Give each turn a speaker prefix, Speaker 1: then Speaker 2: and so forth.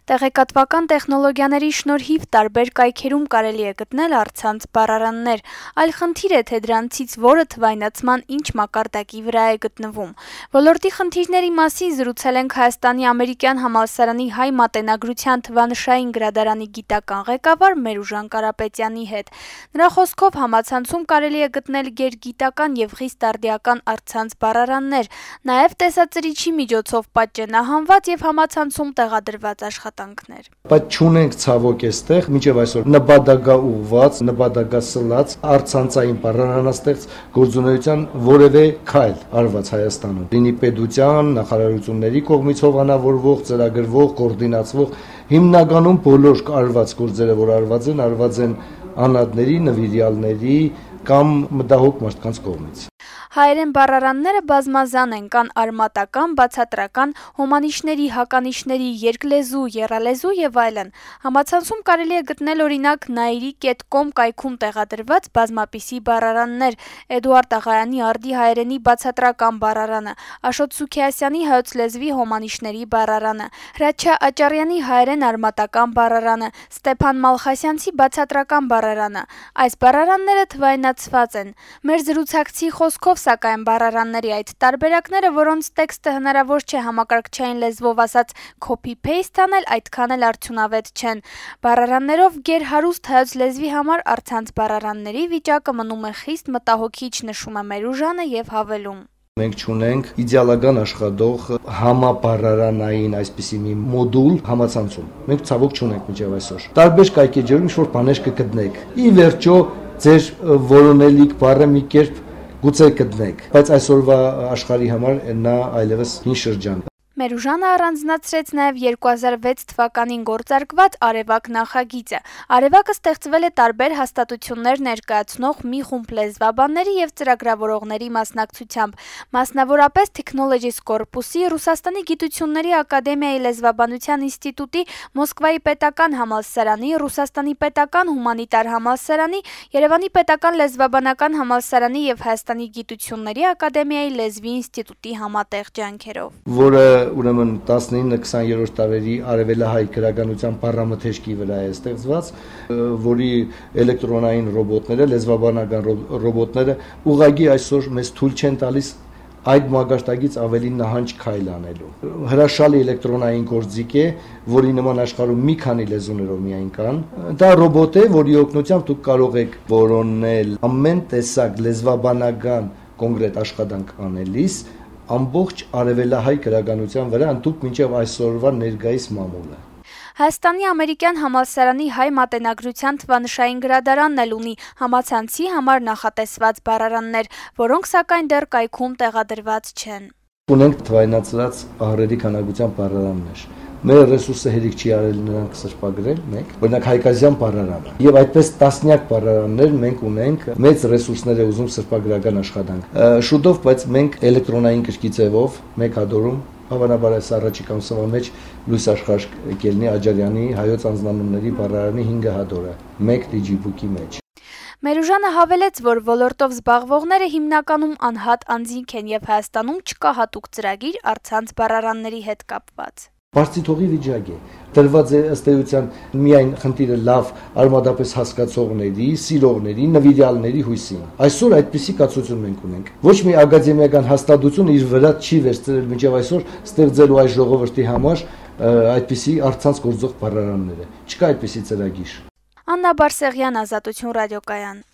Speaker 1: Տեղեկատվական տեխնոլոգիաների շնորհիվ տարբեր կայքերում կարելի է գտնել առցանց բառարաններ, այլ խնդիր է, թե դրանցից որը թվայնացման ինչ մակարդակի վրա է գտնվում։ Ոլորտի խնդիրների մասին զրուցել ենք Հայաստանի ամերիկյան համալսարանի հայ մատենագրության թվանշային գրադարանի գիտական ղեկավար Մերուժան Կարապետյանի հետ։ Նրա խոսքով համացանցում կարելի է գտնել գերգիտական եւ խիստ արդիական առցանց բառարաններ, նաեւ տեսածրիչի միջոցով պատճենահանված եւ համացանցում տեղադրված աշխատանքներ։
Speaker 2: Բայց չունենք ցավոք այստեղ մինչև այսօր նպատակա ուղված, նպատակա սլած առցանցային բառարանաստեղծ գործունեության որևէ քայլ արված Հայաստանում։ Լինի պետության, նախարարությունների կողմից հովանավորվող, ծրագրվող, կոորդինացվող, հիմնականում բոլոր արված գործերը, որ արված են անհատների, նվիրյալների կամ մտահոգ մարդկանց կողմից։
Speaker 1: Հայերեն բառարանները բազմազան են, կան արմատական, բացատրական, հոմանիշների, հականիշների, երկլեզու, եռալեզու եւ այլն։ Համացանցում կարելի է գտնել օրինակ nairi.com կայքում տեղադրված բազմապիսի բառարաններ, Էդուարդ Աղայանի արդի հայերենի բացատրական բառարանը, Աշոտ Սուքիասյանի հայոց լեզվի հոմանիշների բառարանը, Հրաչյա Աճարյանի հայերեն արմատական բառարանը, Ստեփան Մալխասյանցի բացատրական բառարանը։ Այս բառարանները թվայնացված են։ Մեր զրուցակցի խոսքով սակայն բառարանների այդ տարբերակները, որոնց տեքստը հնարավոր չէ համակարգչային լեզվով ասած copy-paste անել, այդքան էլ արդյունավետ չեն։ Բառարաններով գերհարուստ հայոց լեզվի համար առցանց բառարանների վիճակը մնում է խիստ մտահոգիչ, նշում է Մերուժանը եւ հավելում.
Speaker 2: Մենք չունենք իդեալական աշխատող համաբառարանային այսպիսի մի մոդուլ համացանցում։ Մենք ցավոք չունենք մինչև այսօր։ Տարբեր կայքեջերում ինչ-որ բաներ կգտնեք։ Ի վերջո ձեր որոնելիք բառը մի կերպ գուցե գտնեք, բայց այսօրվա աշխարհի համար նա այլևս հին շրջան։
Speaker 1: Մերուժանը առանձնացրեց նաև 2006 թվականին գործարկված Արևակ նախագիծը։ Արևակը ստեղծվել է տարբեր հաստատություններ ներկայացնող մի խումբ լեզվաբանների եւ ծրագրավորողների մասնակցությամբ, մասնավորապես Technologies Corpus-ի, Ռուսաստանի գիտությունների ակադեմիայի լեզվաբանության ինստիտուտի, Մոսկվայի պետական համալսարանի, Ռուսաստանի պետական հումանիտար համալսարանի, Երևանի պետական լեզվաբանական համալսարանի եւ Հայաստանի գիտությունների ակադեմիայի լեզվի ինստիտուտի համատեղ ջանքերով։
Speaker 2: Որը ուրեմն 19-20-րդ դարերի արևելահայ գրականության բառամթեշկի վրա է ստեղծված, որի էլեկտրոնային ռոբոտները, լեզվաբանական ռոբոտները ուղղակի այսօր մեզ թույլ չեն տալիս այդ մակարդակից ավելի նահանջ քայլ անելու։ Հրաշալի էլեկտրոնային գործիք է, որի նման աշխարհում մի քանի լեզուներով միայն կան։ Դա ռոբոտ է, որի օգնությամբ դուք կարող եք որոնել ամեն տեսակ լեզվաբանական կոնկրետ աշխատանք անելիս ամբողջ արևելահայ գրականության վրա ընդհանուր մինչև այսօրվա ներկայիս մամուլը։
Speaker 1: Հայաստանի ամերիկյան համալսարանի հայ մատենագրության թվանշային գրադարանն էլ ունի համացանցի համար նախատեսված բառարաններ, որոնք սակայն դեռ կայքում տեղադրված չեն։
Speaker 2: Ունենք թվայնացված ահռելի քանակությամբ բառարաններ։ Մեր ռեսուրսը հերիք չի արել նրանք սրբագրել մեկ, օրինակ հայկազյան բառարանը։ Եվ այդպես տասնյակ բառարաններ մենք ունենք, մեծ ռեսուրսներ է ուզում սրբագրական աշխատանք։ Շուտով, բայց մենք էլեկտրոնային գրքի ձևով մեկ հատորում հավանաբար այս առաջիկա ամսվա մեջ լույս աշխարհ կելնի Աջարյանի հայոց անձնանունների բառարանի 5 հատորը, մեկ դիջիբուկի մեջ։
Speaker 1: Մերուժանը հավելեց, որ ոլորտով զբաղվողները հիմնականում անհատ անձինք են եւ Հայաստանում չկա հատուկ ծրագիր առցանց բառարանների հետ կապված։
Speaker 2: Բարձիթողի վիճակ է։ Տրված է ըստ էության միայն խնդիրը լավ արմատապես հասկացողների, սիրողների, նվիրյալների հույսին։ Այսօր այդպիսի կացություն մենք ունենք։ Ոչ մի ակադեմիական հաստատություն իր վրա չի վերցրել մինչև այսօր ստեղծելու այս ժողովրդի համար այդպիսի առցանց գործող բառարանները։ Չկա այդպիսի ծրագիր։
Speaker 1: Աննա Բարսեղյան, Ազատություն ռադիոկայան։